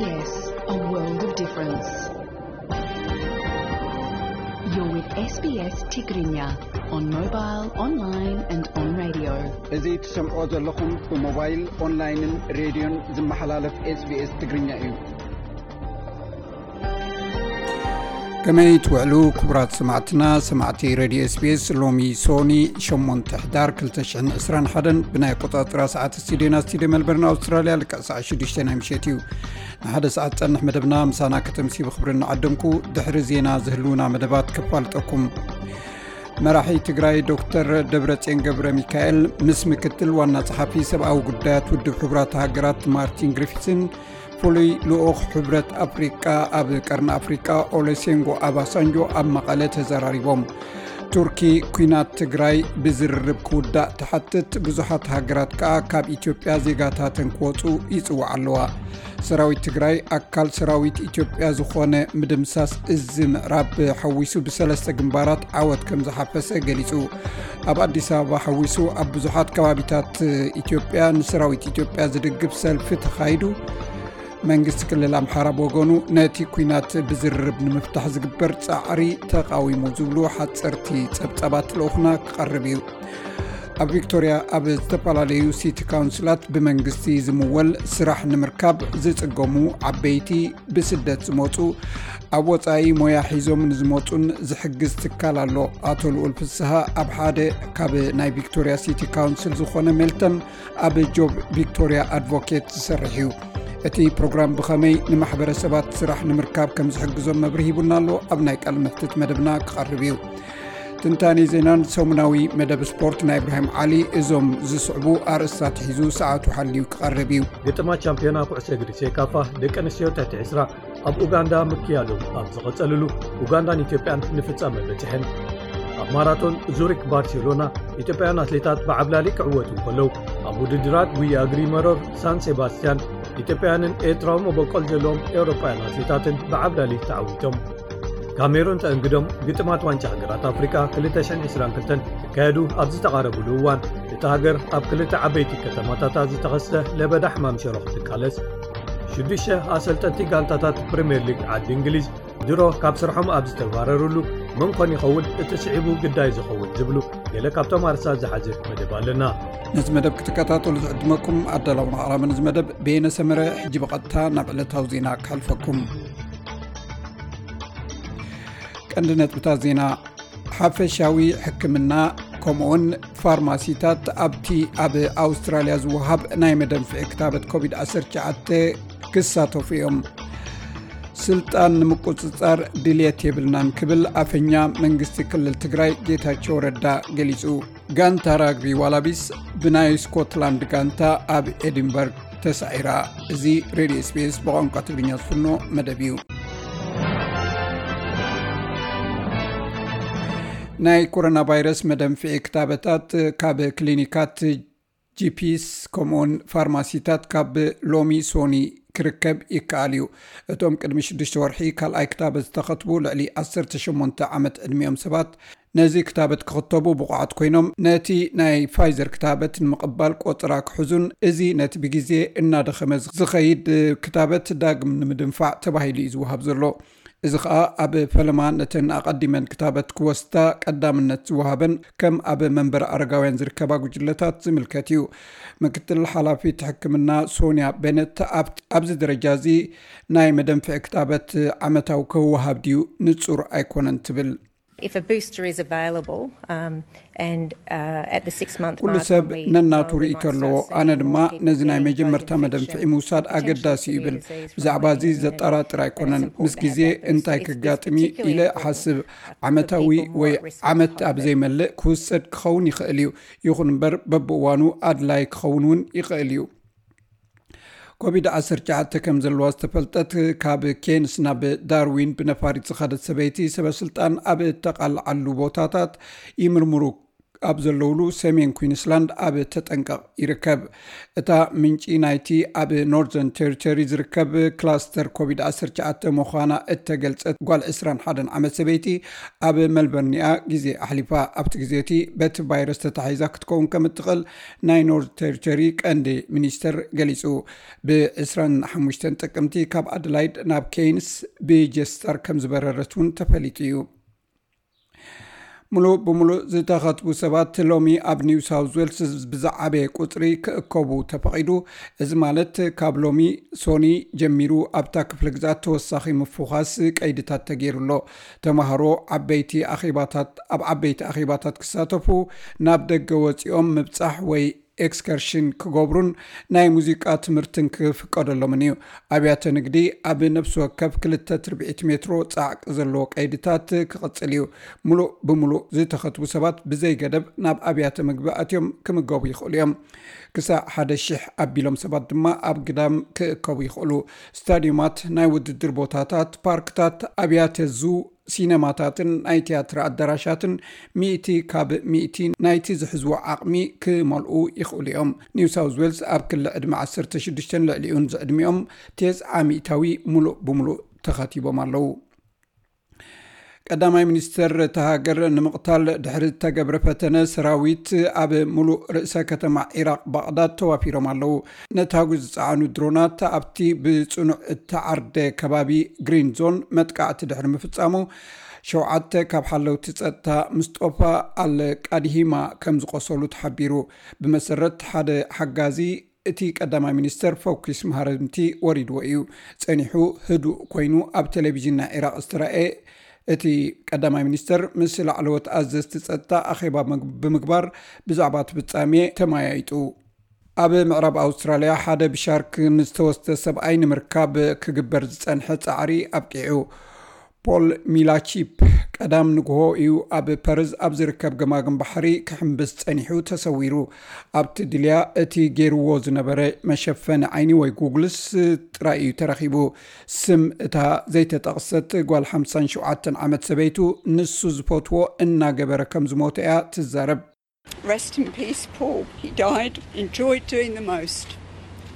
Yes, a world of difference. You're with S B S Tigrinya on mobile, online and on radio. እዚ ትሰምዖ ዘለኹም ብሞባይል፣ ኦንላይንን ሬድዮን ዝመሓላለፍ SBS ትግርኛ እዩ። ከመይ ትውዕሉ ክቡራት ሰማዕትና፣ ሰማዕቲ ሬድዮ SBS? ሎሚ ሶኒ ሸሞንተ ሕዳር ክልተ ሽሕን ዕስራን ሓደን ብናይ ኣቆጻጽራ ሰዓት ስቱዲዮና ስቱዲዮ ሜልበርን ኣውስትራልያ ልክዕ ሰዓት ሽዱሽተ ናይ ምሸት እዩ። ንሓደ ሰዓት ጸንሕ መደብና ምሳና ከተምሲ ብኽብሪ እናዓደምኩ ድሕሪ ዜና ዝህልውና መደባት ከፋልጠኩም። መራሒ ትግራይ ዶክተር ደብረጽዮን ገብረ ሚካኤል ምስ ምክትል ዋና ጸሓፊ ሰብኣዊ ጉዳያት ውድብ ሕቡራት ሃገራት ማርቲን ግሪፊስን ፍሉይ ልኡኽ ሕብረት ኣፍሪቃ ኣብ ቀርኒ ኣፍሪቃ ኦሉሴጉን ኦባሳንጆ ኣብ መቐለ ተዘራሪቦም። ቱርኪ ኲናት ትግራይ ብዝርርብ ክውዳእ ትሓትት፣ ብዙሓት ሃገራት ከኣ ካብ ኢትዮጵያ ዜጋታተን ክወጹ ይጽውዓ ኣለዋ። ሰራዊት ትግራይ ኣካል ሰራዊት ኢትዮጵያ ዝኾነ ምድምሳስ እዚ ምዕራብ ሓዊሱ ብሰለስተ ግንባራት ዓወት ከም ዝሓፈሰ ገሊጹ። ኣብ ኣዲስ ኣበባ ሓዊሱ ኣብ ብዙሓት ከባቢታት ኢትዮጵያ ንሰራዊት ኢትዮጵያ ዝድግፍ ሰልፊ ተኻይዱ። መንግስቲ ክልል ኣምሓራ ብወገኑ ነቲ ኲናት ብዝርርብ ንምፍታሕ ዝግበር ጻዕሪ ተቓዊሙ ዝብሉ ሓጸርቲ ጸብጻባት ልኡኽና ክቐርብ እዩ። ኣብ ቪክቶርያ ኣብ ዝተፈላለዩ ሲቲ ካውንስላት ብመንግስቲ ዝምወል ስራሕ ንምርካብ ዝጽገሙ ዓበይቲ፣ ብስደት ዝመጹ፣ ኣብ ወጻኢ ሞያ ሒዞም ንዝመጹን ዝሕግዝ ትካል ኣሎ። ኣቶ ልኡል ፍስሃ ኣብ ሓደ ካብ ናይ ቪክቶርያ ሲቲ ካውንስል ዝኾነ ሜልተን ኣብ ጆብ ቪክቶርያ ኣድቮኬት ዝሰርሕ እዩ። እቲ ፕሮግራም ብኸመይ ንማሕበረሰባት ስራሕ ንምርካብ ከም ዝሕግዞም መብርሂ ሂቡና ኣሎ። ኣብ ናይ ቃል ምሕትት መደብና ክቐርብ እዩ። ትንታኔ ዜናን ሰሙናዊ መደብ ስፖርት ናይ እብራሂም ዓሊ፣ እዞም ዝስዕቡ ኣርእስታት ሒዙ ሰዓቱ ሓልዩ ክቐርብ እዩ። ግጥማት ቻምፒዮና ኩዕሶ እግሪ ሴካፋ ደቂ ኣንስትዮ ትሕቲ ዕስራ ኣብ ኡጋንዳ ምክያዱ ኣብ ዝቐጸልሉ፣ ኡጋንዳን ኢትዮጵያን ንፍጻመ በጺሐን። ኣብ ማራቶን ዙሪክ ባርሴሎና፣ ኢትዮጵያውያን ኣትሌታት ብዓብላሊ ክዕወቱ እንከለዉ፣ ኣብ ውድድራት ጉያ እግሪ መሮር ሳን ሴባስቲያን፣ ኢትዮጵያውያንን ኤርትራዊ መበቆል ዘለዎም ኤውሮጳውያን ኣትሌታትን ብዓብላሊ ተዓዊቶም። ካሜሩን ተእንግዶም ግጥማት ዋንጫ ሃገራት ኣፍሪቃ ክልተ ሽሕን ዕስራን ክልተን ክካየዱ ኣብ ዝተቓረብሉ እዋን፣ እታ ሃገር ኣብ ክልተ ዓበይቲ ከተማታታ ዝተኸስተ ለበዳ ሕማም ሸሮ ክትቃለስ፣ ሽዱሽተ ኣሰልጠንቲ ጋንታታት ፕሪምየር ሊግ ዓዲ እንግሊዝ ድሮ ካብ ስርሖም ኣብ ዝተባረሩሉ፣ መን ኮን ይኸውን እቲ ስዒቡ ግዳይ ዝኸውን ዝብሉ ገለ ካብቶም ኣርእስታት ዝሓዘ መደብ ኣለና። ነዚ መደብ ክትከታተሉ ዝዕድመኩም ኣዳላውን ኣቕራብን እዚ መደብ በየነ ሰመረ። ሕጂ ብቐጥታ ናብ ዕለታዊ ዜና ከሕልፈኩም። ቀንዲ ነጥብታት ዜና። ሓፈሻዊ ሕክምና ከምኡውን ፋርማሲታት ኣብቲ ኣብ ኣውስትራልያ ዝወሃብ ናይ መደንፍዒ ክታበት ኮቪድ ዓሰርተ ትሽዓተ ክሳተፉ እዮም። ስልጣን ንምቁጽጻር ድልየት የብልናን ክብል ኣፈኛ መንግስቲ ክልል ትግራይ ጌታቸው ረዳ ገሊጹ። ጋንታ ራግቢ ዋላቢስ ብናይ ስኮትላንድ ጋንታ ኣብ ኤዲንበርግ ተሳዒራ። እዚ ሬድዮ SBS ብቋንቋ ትግርኛ ዝፍኖ መደብ እዩ። ናይ ኮሮና ቫይረስ መደንፍዒ ክታበታት ካብ ክሊኒካት፣ ጂፒስ ከምኡውን ፋርማሲታት ካብ ሎሚ ሶኒ ክርከብ ይከኣል እዩ። እቶም ቅድሚ ሽዱሽተ ወርሒ ካልኣይ ክታበት ዝተኸትቡ ልዕሊ ዓሰርተ ሸሞንተ ዓመት ዕድሚኦም ሰባት ነዚ ክታበት ክኽተቡ ብቑዓት ኮይኖም፣ ነቲ ናይ ፋይዘር ክታበት ንምቕባል ቆጽራ ክሕዙን፣ እዚ ነቲ ብግዜ እናደኸመ ዝኸይድ ክታበት ዳግም ንምድንፋዕ ተባሂሉ እዩ ዝወሃብ ዘሎ። እዚ ኸኣ ኣብ ፈለማ ነተን ኣቐዲመን ክታበት ክወስዳ ቀዳምነት ዝወሃበን ከም ኣብ መንበሪ ኣረጋውያን ዝርከባ ጉጅለታት ዝምልከት እዩ። ምክትል ሓላፊት ሕክምና ሶንያ ቤነት ኣብ-፣ ኣብዚ ደረጃ እዚ ናይ መደንፍዒ ክታበት ዓመታዊ ክወሃብ ድዩ ንጹር ኣይኮነን ትብል። If a booster is available, um, and, uh, at the six month ኩሉ mark ሰብ when we ነናቱ know we ርእይቶ might ኣለዎ። start seeing ኣነ more ድማ people ነዚ ናይ getting መጀመርታ COVID መደንፍዒ infection, ምውሳድ potentially ኣገዳሲ እዩ severe ይብል። Disease from ብዛዕባ እዚ being in ዘጠራጥር ኣይኮነን። ምስ ግዜ እንታይ ክጋጥም እዩ ኢለ እሓስብ። ዓመታዊ ወይ ዓመት ኣብ ዘይመልእ ክውሰድ ክኸውን ይኽእል እዩ። ይኹን እምበር በብእዋኑ ኣድላይ ክኸውን እውን ይኽእል እዩ። ኮቪድ ዓሰርተ ትሽዓተ ከም ዘለዋ ዝተፈልጠት ካብ ኬንስ ናብ ዳርዊን ብነፋሪት ዝኸደት ሰበይቲ ሰበ ስልጣን ኣብ እተቓልዓሉ ቦታታት ይምርምሩ ኣብ ዘለውሉ ሰሜን ኩዊንስላንድ ኣብ ተጠንቀቕ ይርከብ። እታ ምንጪ ናይቲ ኣብ ኖርዘርን ቴሪቶሪ ዝርከብ ክላስተር ኮቪድ ዓሰርተ ትሽዓተ ምዃና እተገልጸት ጓል ዕስራን ሓደን ዓመት ሰበይቲ ኣብ መልበርንያ ግዜ ኣሕሊፋ። ኣብቲ ግዜ እቲ በቲ ቫይረስ ተታሒዛ ክትከውን ከም እትኽእል ናይ ኖርዘርን ቴሪቶሪ ቀንዲ ሚኒስተር ገሊጹ። ብ ዕስራን ሓሙሽተን ጥቅምቲ ካብ ኣደላይድ ናብ ኬይንስ ብጀትስታር ከም ዝበረረት እውን ተፈሊጡ እዩ። ሙሉእ ብሙሉእ ዝተኸትቡ ሰባት ሎሚ ኣብ ኒው ሳውዝ ዌልስ ብዝዓበየ ቁጽሪ ክእከቡ ተፈቒዱ። እዚ ማለት ካብ ሎሚ ሶኒ ጀሚሩ ኣብታ ክፍለ ግዛት ተወሳኺ ምፍዃስ ቀይድታት ተገይሩ ኣሎ። ተማሃሮ ዓበይቲ ኣኼባታት፣ ኣብ ዓበይቲ ኣኼባታት ክሳተፉ፣ ናብ ደገ ወጺኦም ምብጻሕ ወይ ኤክስከርሽን ክገብሩን ናይ ሙዚቃ ትምህርትን ክፍቀደሎምን እዩ። ኣብያተ ንግዲ ኣብ ነፍሲ ወከፍ ክልተ ትርብዒት ሜትሮ ጻዕቂ ዘለዎ ቀይድታት ክቕጽል እዩ። ሙሉእ ብሙሉእ ዝተኸትቡ ሰባት ብዘይ ገደብ ናብ ኣብያተ ምግቢ ኣትዮም ክምገቡ ይኽእሉ እዮም። ክሳዕ ሓደ ሽሕ ኣቢሎም ሰባት ድማ ኣብ ግዳም ክእከቡ ይኽእሉ። ስታዲዮማት፣ ናይ ውድድር ቦታታት፣ ፓርክታት፣ ኣብያተ ዙ፣ ሲነማታትን ናይ ትያትር ኣዳራሻትን ሚእቲ ካብ ሚእቲ ናይቲ ዝሕዝዎ ዓቕሚ ክመልኡ ይኽእሉ እዮም። ኒው ሳውዝ ዌልስ ኣብ ክሊ ዕድመ ዓሰርተ ሽዱሽተን ልዕሊኡን ዝዕድሚኦም ተስዓ ሚእታዊ ሙሉእ ብሙሉእ ተኸቲቦም ኣለዉ። ቀዳማይ ሚኒስተር እታ ሃገር ንምቕታል ድሕሪ ዝተገብረ ፈተነ፣ ሰራዊት ኣብ ሙሉእ ርእሰ ከተማ ዒራቕ ባቕዳድ ተዋፊሮም ኣለዉ። ነታጒ ዝጸዓኑ ድሮናት ኣብቲ ብጽኑዕ እተዓርደ ከባቢ ግሪን ዞን መጥቃዕቲ ድሕሪ ምፍጻሙ፣ ሸውዓተ ካብ ሓለውቲ ጸጥታ ምስጦፋ ኣል ቃድሂማ ከም ዝቖሰሉ ተሓቢሩ። ብመሰረት ሓደ ሓጋዚ፣ እቲ ቀዳማይ ሚኒስተር ፈኲስ ማህረምቲ ወሪድዎ እዩ። ጸኒሑ ህዱእ ኮይኑ ኣብ ቴሌቪዥን ናይ ዒራቕ ዝተራእየ እቲ ቀዳማይ ሚኒስተር፣ ምስ ላዕለዎት ኣዘዝቲ ጸጥታ ኣኼባ መግ-፣ ብምግባር ብዛዕባ እቲ ፍጻሜ ተመያይጡ። ኣብ ምዕራብ ኣውስትራልያ ሓደ ብሻርክ ንዝተወስደ ሰብኣይ ንምርካብ ክግበር ዝጸንሐ ጻዕሪ ኣብቂዑ። ፖል ሚላቺፕ ቀዳም ንግሆ እዩ ኣብ ፐርዝ ኣብ ዝርከብ ገማግም ባሕሪ ክሕምብስ ጸኒሑ ተሰዊሩ። ኣብቲ ድልያ እቲ ገይርዎ ዝነበረ መሸፈኒ ዓይኒ ወይ ጉግልስ ጥራይ እዩ ተረኺቡ። ስም እታ ዘይተጠቕሰት ጓል ሓምሳን ሸውዓተን ዓመት ሰበይቱ ንሱ ዝፈትዎ እናገበረ ከም ዝሞተ እያ ትዛረብ። Rest in peace, Paul. He died, enjoyed doing the most,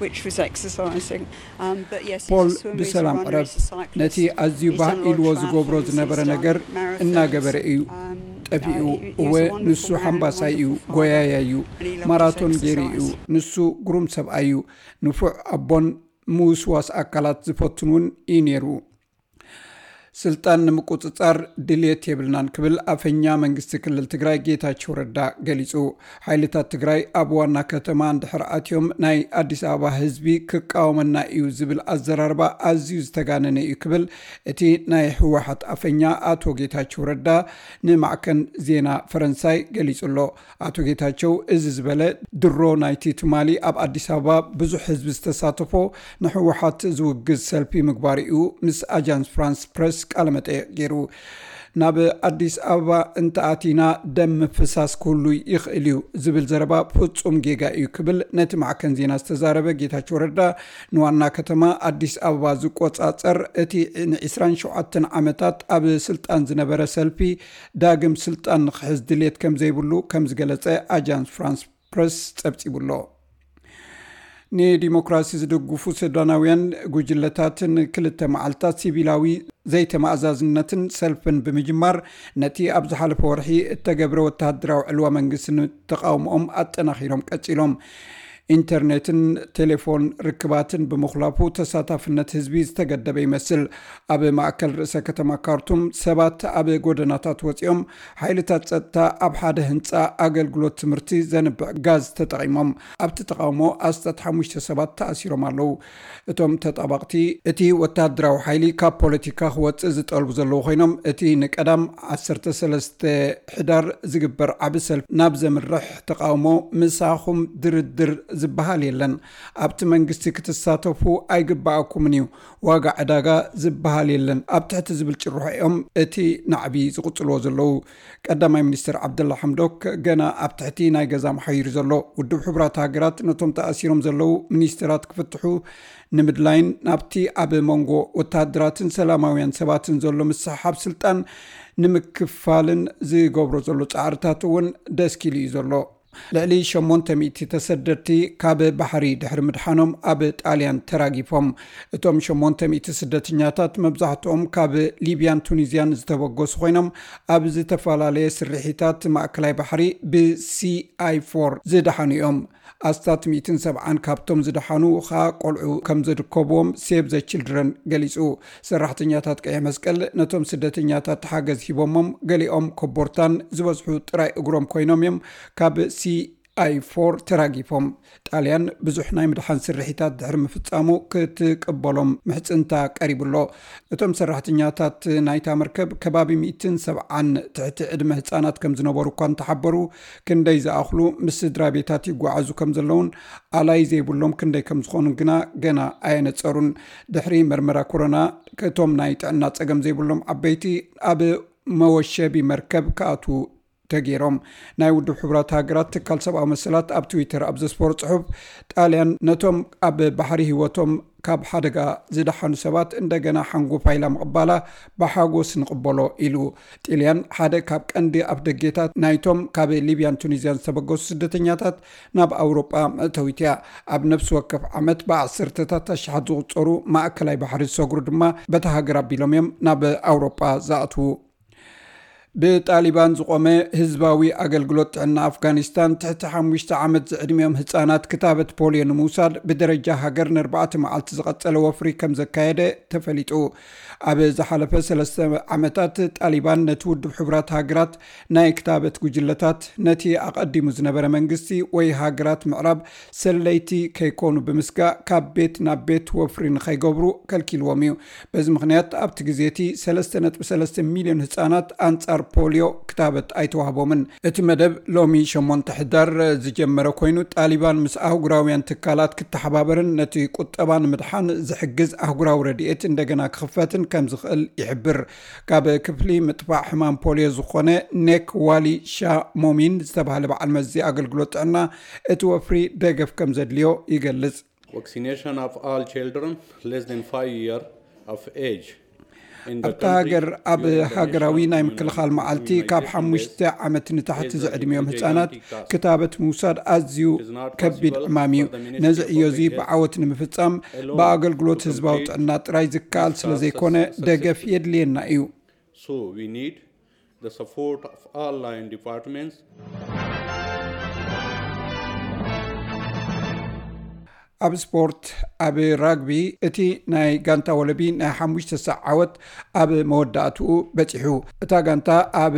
which was exercising. Um, but yes, he's ፖል a swimmer, he's a ብሰላም runner, ዕረፍ። He's a cyclist. ነቲ ኣዝዩ He's ባህ done a lot of ኢልዎ ዝገብሮ triathlons, ዝነበረ he's ነገር done marathons. እናገበረ እዩ Um, ጠፊኡ። Uh, he- he's እወ፣ a wonderful ንሱ man, ሓምባሳይ እዩ፣ wonderful father, ጎያያይ እዩ፣ and he loved his ማራቶን ገይሩ እዩ። Exercise. ንሱ ግሩም ሰብኣይ እዩ። ንፉዕ ኣቦን ምውስዋስ ኣካላት ዝፈቱን እውን እዩ ነይሩ። ስልጣን ንምቁጽጻር ድልየት የብልናን ክብል ኣፈኛ መንግስቲ ክልል ትግራይ ጌታቸው ረዳ ገሊጹ። ሓይልታት ትግራይ ኣብ ዋና ከተማ እንድሕር ኣትዮም ናይ ኣዲስ ኣበባ ህዝቢ ክቃወመና እዩ ዝብል ኣዘራርባ ኣዝዩ ዝተጋነነ እዩ ክብል እቲ ናይ ህወሓት ኣፈኛ ኣቶ ጌታቸው ረዳ ንማዕከን ዜና ፈረንሳይ ገሊጹ ኣሎ። ኣቶ ጌታቸው እዚ ዝበለ ድሮ ናይቲ ትማሊ ኣብ ኣዲስ ኣበባ ብዙሕ ህዝቢ ዝተሳተፎ ንህወሓት ዝውግዝ ሰልፊ ምግባር እዩ ምስ ኣጃንስ ፍራንስ ፕረስ ቃለ መጠይቕ ገይሩ። ናብ ኣዲስ ኣበባ እንተኣቲና ደም ምፍሳስ ክህሉ ይኽእል እዩ ዝብል ዘረባ ፍጹም ጌጋ እዩ ክብል ነቲ ማዕከን ዜና ዝተዛረበ ጌታቸው ረዳ፣ ንዋና ከተማ ኣዲስ ኣበባ ዝቆጻጸር እቲ ን ዕስራን ሸውዓተን ዓመታት ኣብ ስልጣን ዝነበረ ሰልፊ ዳግም ስልጣን ንክሕዝ ድልየት ከም ዘይብሉ ከም ዝገለጸ ኣጃንስ ፍራንስ ፕረስ ጸብጺቡ ኣሎ። ንዲሞክራሲ ዝድግፉ ሱዳናውያን ጉጅለታትን ክልተ መዓልታት ሲቪላዊ ዘይተመኣዛዝነትን ሰልፍን ብምጅማር፣ ነቲ ኣብ ዝሓለፈ ወርሒ እተገብረ ወተሃደራዊ ዕልዋ መንግስቲ ንተቓውሞኦም ኣጠናኺሮም ቀጺሎም። ኢንተርኔትን ቴሌፎን ርክባትን ብምኹላፉ ተሳታፍነት ህዝቢ ዝተገደበ ይመስል። ኣብ ማእከል ርእሰ ከተማ ካርቱም ሰባት ኣብ ጎደናታት ወጺኦም፣ ሓይልታት ጸጥታ ኣብ ሓደ ህንጻ ኣገልግሎት ትምህርቲ ዘንብዕ ጋዝ ተጠቒሞም። ኣብቲ ተቓውሞ ኣስታት ሓሙሽተ ሰባት ተኣሲሮም ኣለዉ። እቶም ተጣባቕቲ፣ እቲ ወተሃደራዊ ሓይሊ ካብ ፖለቲካ ክወጽእ ዝጠልቡ ዘለዉ ኮይኖም፣ እቲ ንቀዳም ዓሰርተ ሰለስተ ሕዳር ዝግበር ዓቢ ሰልፊ ናብ ዘምርሕ ተቓውሞ ምሳኹም ድርድር ዝበሃል የለን። ኣብቲ መንግስቲ ክትሳተፉ ኣይግባኣኩምን እዩ። ዋጋ ዕዳጋ ዝበሃል የለን። ኣብ ትሕቲ ዝብል ጭርሖ እዮም እቲ ናዕቢ ዝቕጽልዎ ዘለዉ። ቀዳማይ ሚኒስትር ዓብደላ ሓምዶክ ገና ኣብ ትሕቲ ናይ ገዛ መሓይሩ ዘሎ። ውድብ ሕቡራት ሃገራት ነቶም ተኣሲሮም ዘለዉ ሚኒስትራት ክፍትሑ ንምድላይን ናብቲ ኣብ መንጎ ወተሃደራትን ሰላማውያን ሰባትን ዘሎ ምስሕሓብ ስልጣን ንምክፋልን ዝገብሮ ዘሎ ጻዕርታት እውን ደስኪሉ እዩ ዘሎ። ልዕሊ ሸሞንተ ሚእቲ ተሰደድቲ ካብ ባሕሪ ድሕሪ ምድሓኖም ኣብ ጣልያን ተራጊፎም። እቶም ሸሞንተ ሚእቲ ስደተኛታት መብዛሕትኦም ካብ ሊብያን ቱኒዝያን ዝተበገሱ ኮይኖም፣ ኣብ ዝተፈላለየ ስርሒታት ማእከላይ ባሕሪ ብሲ ኣይ ፎር ዝደሓኑ እዮም። ኣስታት ሚእትን ሰብዓን ካብቶም ዝደሓኑ ኸኣ ቆልዑ ከም ዘድከብዎም ሴቭ ዘ ችልድረን ገሊጹ። ሰራሕተኛታት ቀይሕ መስቀል ነቶም ስደተኛታት ሓገዝ ሂቦሞም፣ ገሊኦም ኮቦርታን ዝበዝሑ ጥራይ እግሮም ኮይኖም እዮም ካብ ሲ ኣይ ፎር ተራጊፎም። ጣልያን ብዙሕ ናይ ምድሓን ስርሒታት ድሕሪ ምፍጻሙ ክትቅበሎም ምሕጽንታ ቀሪቡ ኣሎ። እቶም ሰራሕተኛታት ናይታ መርከብ ከባቢ ሚእትን ሰብዓን ትሕቲ ዕድመ ህጻናት ከም ዝነበሩ እኳ እንተሓበሩ፣ ክንደይ ዝኣኽሉ ምስ ስድራ ቤታት ይጓዓዙ ከም ዘለውን ኣላይ ዘይብሎም ክንደይ ከም ዝኾኑን ግና ገና ኣየነጸሩን። ድሕሪ መርመራ ኮሮና፣ እቶም ናይ ጥዕና ጸገም ዘይብሎም ዓበይቲ ኣብ መወሸቢ መርከብ ክኣትዉ ተገይሮም። ናይ ውድብ ሕቡራት ሃገራት ትካል ሰብኣዊ መሰላት ኣብ ትዊተር ኣብ ዘስፈሮ ጽሑፍ፣ ጣልያን ነቶም ኣብ ባሕሪ ህይወቶም ካብ ሓደጋ ዝደሓኑ ሰባት እንደገና ሓንጎፋይ ኢላ ምቕባላ ብሓጎስ ንቕበሎ ኢሉ። ጣልያን ሓደ ካብ ቀንዲ ኣፍደጌታት ናይቶም ካብ ሊብያን ቱኒዝያን ዝተበገሱ ስደተኛታት ናብ ኣውሮጳ መእተዊት እያ። ኣብ ነፍሲ ወከፍ ዓመት ብዓሰርተታት ኣሽሓት ዝቑጸሩ ማእከላይ ባሕሪ ዝሰግሩ ድማ በታ ሃገር ኣቢሎም እዮም ናብ ኣውሮጳ ዝኣትዉ። ብጣሊባን ዝቖመ ህዝባዊ ኣገልግሎት ጥዕና ኣፍጋኒስታን፣ ትሕቲ ሓሙሽተ ዓመት ዝዕድሚኦም ህጻናት ክታበት ፖልዮ ንምውሳድ ብደረጃ ሃገር ንኣርባዕተ መዓልቲ ዝቐጸለ ወፍሪ ከም ዘካየደ ተፈሊጡ። ኣብ ዝሓለፈ ሰለስተ ዓመታት፣ ጣሊባን ነቲ ውድብ ሕቡራት ሃገራት ናይ ክታበት ጉጅለታት፣ ነቲ ኣቐዲሙ ዝነበረ መንግስቲ ወይ ሃገራት ምዕራብ ሰለይቲ ከይኮኑ ብምስጋእ፣ ካብ ቤት ናብ ቤት ወፍሪ ንኸይገብሩ ከልኪልዎም እዩ። በዚ ምኽንያት፣ ኣብቲ ግዜ እቲ ሰለስተ ነጥቢ ሰለስተ ሚልዮን ህጻናት ኣንጻር ፖልዮ ክታበት ኣይተዋህቦምን። እቲ መደብ ሎሚ ሸሞንተ ሕዳር ዝጀመረ ኮይኑ፣ ጣሊባን ምስ ኣህጉራውያን ትካላት ክተሓባበርን ነቲ ቁጠባ ንምድሓን ዝሕግዝ ኣህጉራዊ ረድኤት እንደገና ክኽፈትን ከም ዝኽእል ይሕብር። ካብ ክፍሊ ምጥፋእ ሕማም ፖልዮ ዝኾነ ኔክ ዋሊ ሻ ሞሚን ዝተባህለ በዓል መዚ ኣገልግሎት ጥዕና፣ እቲ ወፍሪ ደገፍ ከም ዘድልዮ ይገልጽ። Vaccination of all children less than five year of age. ኣብታ ሃገር ኣብ ሃገራዊ ናይ ምክልኻል መዓልቲ፣ ካብ ሓሙሽተ ዓመት ንታሕቲ ዝዕድሚኦም ህጻናት ክታበት ምውሳድ ኣዝዩ ከቢድ ዕማም እዩ። ነዚ ዕዮ እዚ ብዓወት ንምፍጻም፣ ብኣገልግሎት ህዝባዊ ጥዕና ጥራይ ዝከኣል ስለ ዘይኮነ፣ ደገፍ የድልየና እዩ። So we need the support of all line departments. ኣብ ስፖርት፣ ኣብ ራግቢ፣ እቲ ናይ ጋንታ ወለቢ ናይ ሓሙሽተ ሳዕ ዓወት ኣብ መወዳእትኡ በጺሑ። እታ ጋንታ ኣብ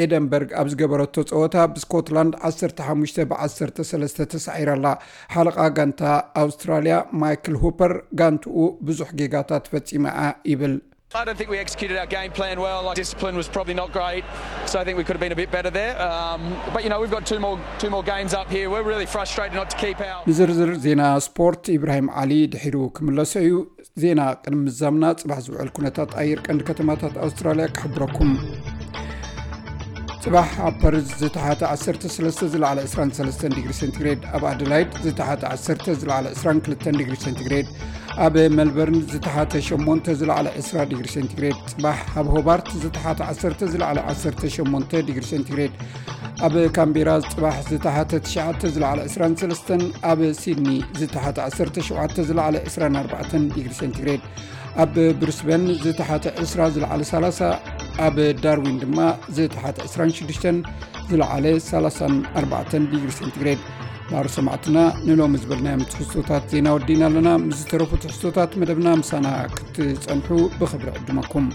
ኤደንበርግ ኣብ ዝገበረቶ ጸወታ ብስኮትላንድ ዓሰርተ ሓሙሽተ ብ ዓሰርተ ሰለስተ ተሳዒራ ኣላ። ሓለቓ ጋንታ ኣውስትራልያ ማይክል ሁፐር፣ ጋንትኡ ብዙሕ ጌጋታት ፈጺማ እያ ይብል። I don't think we executed our game plan well. Our discipline was probably not great, so I think we could have been a bit better there. Um, but you know, we've got two more two more games up here. We're really frustrated not to keep our ንዝርዝር ዜና ስፖርት ኢብራሂም ዓሊ ድሒሩ ክምለሶ እዩ። ዜና ቅድሚ ምዛምና፣ ጽባሕ ዝውዕል ኩነታት ኣየር ቀንዲ ከተማታት ኣውስትራልያ ክሕብረኩም። ጽባሕ ኣብ ፐርዝ ዝተሓተ ዓሰርተ ሰለስተ፣ ዝለዓለ ዕስራን ሰለስተን ዲግሪ ሴንቲግሬድ፣ ኣብ ኣደላይድ ዝተሓተ ዓሰርተ፣ ዝለዓለ ዕስራን ክልተን ዲግሪ ሴንቲግሬድ፣ ኣብ ሜልበርን ዝተሓተ ሸሞንተ፣ ዝለዓለ ዕስራ ዲግሪ ሴንቲግሬድ፣ ጽባሕ ኣብ ሆባርት ዝተሓተ ዓሰርተ፣ ዝለዓለ ዓሰርተ ሸሞንተ ዲግሪ ሴንቲግሬድ፣ ኣብ ካምቤራ ጽባሕ ዝተሓተ ትሽዓተ፣ ዝለዓለ ዕስራን ሰለስተን፣ ኣብ ሲድኒ ዝተሓተ ዓሰርተ ሸውዓተ፣ ዝለዓለ ዕስራን ኣርባዕተን ዲግሪ ሴንቲግሬድ፣ ኣብ ብሪስበን ዝተሓተ ዕስራ፣ ዝለዓለ ሰላሳ፣ ኣብ ዳርዊን ድማ ዝተሓተ ዕስራን ሽዱሽተን፣ ዝለዓለ ሰላሳን ኣርባዕተን ዲግሪ ሴንቲግሬድ። ማሩ ሰማዕትና፣ ንሎሚ ዝበልናዮም ትሕዝቶታት ዜና ወዲእና ኣለና። ምስ ዝተረፉ ትሕዝቶታት መደብና ምሳና ክትጸንሑ ብኽብሪ ዕድመኩም።